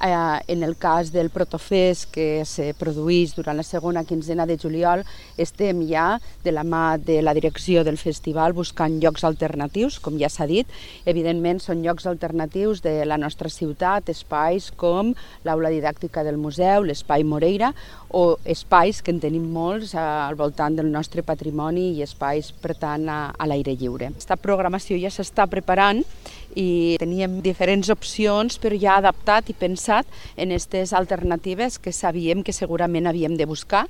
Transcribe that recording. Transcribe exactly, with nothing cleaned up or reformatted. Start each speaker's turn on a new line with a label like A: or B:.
A: En el cas del Protofest, que se produeix durant la segona quinzena de juliol, estem ja de la mà de la direcció del festival buscant llocs alternatius, com ja s'ha dit. Evidentment són llocs alternatius de la nostra ciutat, espais com l'aula didàctica del museu, l'espai Moreira, o espais que en tenim molts al voltant del nostre patrimoni i espais, per tant, a l'aire lliure. Aquesta programació ja s'està preparant i teníem diferents opcions, però ja adaptat i pensat en aquestes alternatives que sabíem que segurament havíem de buscar.